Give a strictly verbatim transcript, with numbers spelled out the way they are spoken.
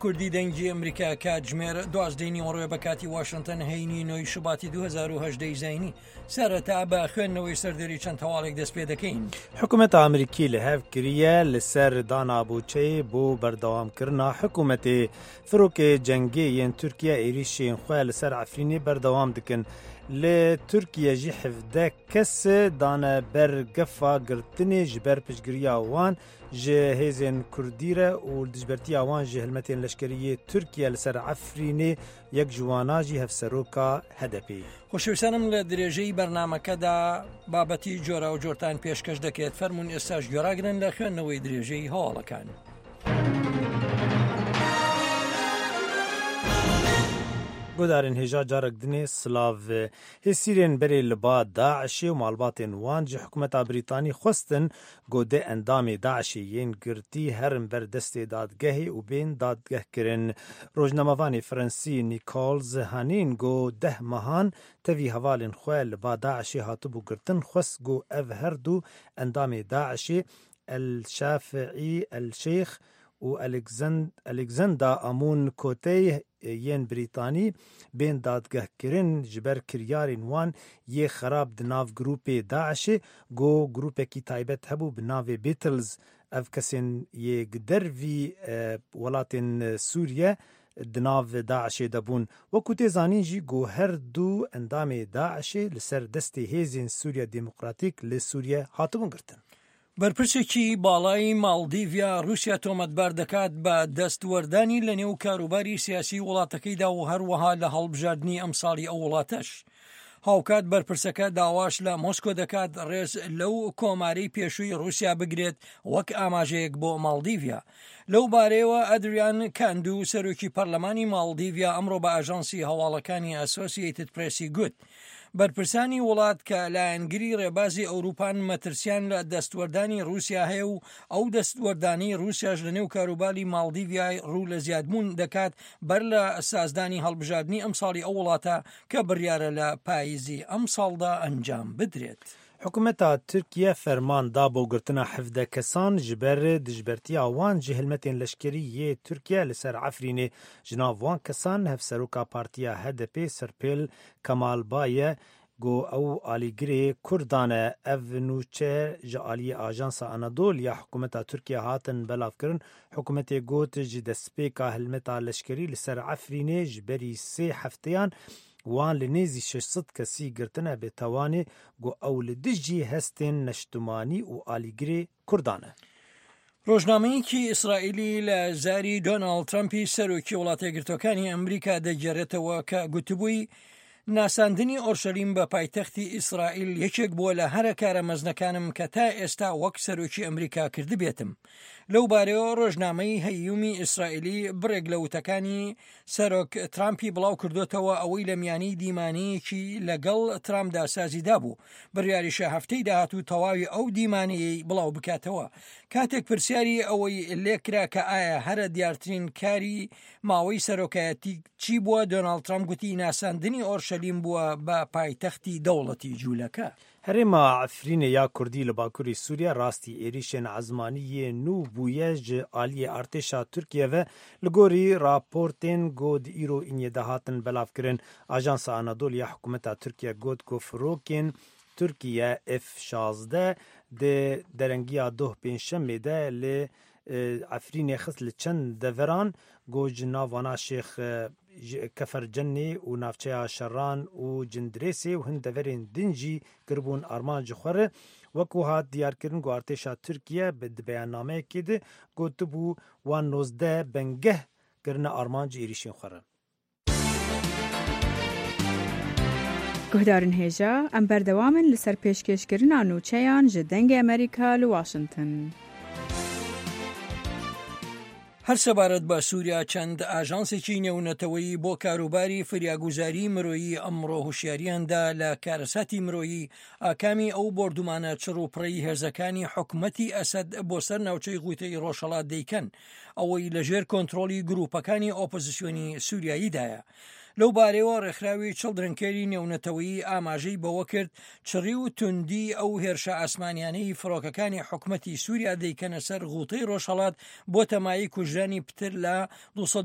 کوردی دەنگی ئەمریکا کاتژمێر دوازدەی نیوەڕۆ بە کاتی واشنتن هەینی نۆی شوباتی دوو هەزار و هەژدە ی زایینی. سەرەتا بە خوێندنەوەی سەردێری چەند هەواڵێک دەست پێ دەکەین. حکوومەتا ئەمریکی li hev kiriye li ser dana bûdçeyê bo berdewamkirina hikûmetê. Firokê cengê yên Tirkiye êrişên xwe li ser Efrînê berdewam dikin. Li Tirkiye jî hevdeh kes dane ber gefa girtinê ji ber piştgiriya wan ji hêzên Kurdî re û dijbertiya wan ji hilmetên leşkerî yê Tirkiye li ser Efrînê yek ji wana jî hevseroka H D P. خۆشەویستانم لە درێژەی بەرنامەکەدا بابەتی جۆرە و جۆرتان پێشکەش دەکرێت. فەرمونون ئێستاش گوێڕاگرن لە خوێندنەوەی درێژەی هەواڵەکان. گۆدارên hêja carek dinê silav hêsîrên berê li ba Daişê û malbatên wan ji hikûmeta Brîtanî xwestin ku dê endamê Daişê yên girtî herin ber destê dadgehê û bên dadgehkirin. Rojnamevanê Fransî Nichols Hanin got deh mehan tevî hevalên xwe li ba Daişê hatibû girtin xwest ku ev her du endamê Daişê El Şafiî El Şeyx û Alexander Amon Kotey yên Brîtanî bên dadgehkirin ji ber kiryarên wan yê xerab di nav grûpê Daişê ku grûpekî taybet hebû bi navê Beatles. Ev kesên yê dervî welatên Sûriye di nav Daişê de bûn. Wekû tê zanîn jî ku her du endamê Daişê li ser destê hêzên Sûriya Demokratîk li Sûriye hatibûn girtin. بەرپرسێکی باڵای ماڵدیڤیا رووسیا تۆمەتبار دەکات بە دەستوەردانی لە نێو کاروباری سیاسی وڵاتەکەیدا و هەروەها لە هەڵبژاردنی ئەمساڵی ئەو وڵاتەش. هاوکات بەرپرسەکە داواش لە مۆسکۆ دەکات ڕێز لەو کۆماری پێشووی رووسیا بگرێت وەک ئاماژەیەک بۆ ماڵدیڤیا. لەو بارەیەوە ئەدریان کاندو سەرۆکی پەرلەمانی ماڵدیڤیا ئەمڕۆ بە ئاژانسی هەواڵەکانی ئەسۆسیەیتد پرێسی گوت بەرپرسانی وڵات کە لایەنگری ڕێبازی ئەوروپان مەترسیان لە دەستوەردانی رووسیا هەیە و ئەو دەستوەردانی رووسیاش لە نێو کاروباری ماڵدیڤیای ڕوو لە زیادبوون دەکات بەر لە سازدانی هەڵبژاردنی ئەمساڵی ئەو وڵاتە کە بڕیارە لە پاییزی ئەمساڵدا ئەنجام بدرێت. حکوومەتا Tirkiye ferman da bo girtina hevdeh kesan ji ber dijbertiya wan ji hilmetên leşkerî yê Tirkiye li ser Efrînê. Ji nav wan kesan hevseroka Partiya H D P Serpêl Kemalbaye ku ew alîgirê Kurdan e. Ev nûçe ji aliyê Ajansa Anadolu ya hikûmeta Tirkiye hatin belavkirin. Hikûmetê got ji destpêka hilmeta leşkerî li ser Efrînê ji berî sê hefteyan wan li nêzî şeş sed kesî girtine bêtewanê ku ew li dijî hestên neştimanî û alîgirê Kurdan e. ڕۆژنامەیەکی ئیسرائیلی لە زاری دۆناڵد ترەمپی سەرۆکی وڵاتەیەکگرتووەکانی ئەمریکا دەگێڕێتەوە کە گوتبووی ناساندنی ئۆرشەلیم بە پایتەختی ئیسرائیل یەکێک بووە لە هەرە کارە مەزنەکانم کە تا ئێستا وەک سەرۆکی ئەمریکا کردبێتم. لەو بارەیەوە ڕۆژنامەی هەیومی ئیسرائیلی بڕێک لە وتەکانی سەرۆک ترامپی بڵاو کردوتەوە ئەوەی لە میانی دیمانەیەکی لەگەڵ ترامپدا سازیدا بوو. بڕیاریشە هەفتەی داهاتوو تەواوی ئەو دیمانەیەی بڵاو بکاتەوە. کاتێک پرسیاری ئەوەی لێکرا کە ئایا هەرە دیارترین کاری ماوەی سەرۆکایەتی چی بووە، دۆناڵد ترامپ گوتی ناساندنی ئۆرشەلیم بووە بە پایتەختی دەوڵەتی جوولەکە. هەرێما Efrînê ya Kurdî li Bakurê Sûriye rastî êrişên ezmanî yê nû bûye ji aliyê artêşa Tirkiye ve li gorî raportên ku di îro înê de hatin belavkirin. Ajansa Anadolu ya hikûmeta Tirkiye got ku firokên Tirkiye F şazdeh di derengiya doh pêncşemê de li Efrînê xist li çend deveran ku ji navwana Şêx Kefercenê û navçeya Şeran û Cindirêsê û hin deverên din jî kiribûn armanc xwe re. Wekû hat diyarkirin ku artêşa Tirkiye bi di beyannameyekê de gotibû wan nozdeh bengeh kirine armanc êrişên xwe re. Guhdarên hêja, em berdewam in li ser pêşkêşkirina nûçeyan ji Dengê Amerîka li Washington. هەر سەبارەت بە سووریا چەند ئاژانسێکی نێونەتەوەیی بۆ کاروباری فریاگوزاری مرۆیی ئەمڕۆ هوشیاریاندا لە کارەساتی مرۆیی ئاکامی ئەو بۆردومانە چڕ و پڕی هێزەکانی حکومەتی ئەسەد بۆ سەر ناوچەی غوتەی ڕۆژهەڵات دەیکەن، ئەوەی لەژێر کۆنترۆڵی گروپەکانی ئۆپۆزیسیۆنی سووریاییدایە. لەو بارەیەوە ڕێکخراوی Children Care ی نێونەتەوەیی ئاماژەی بەوە کرد، چڕی و توندی ئەو هێرشە ئاسمانیانەی فڕۆکەکانی حکومەتی سووریا دەیکەنە سەر غوتەی ڕۆژهەڵات بۆتە مایەی کوژرانی پتر لە دوو سەد و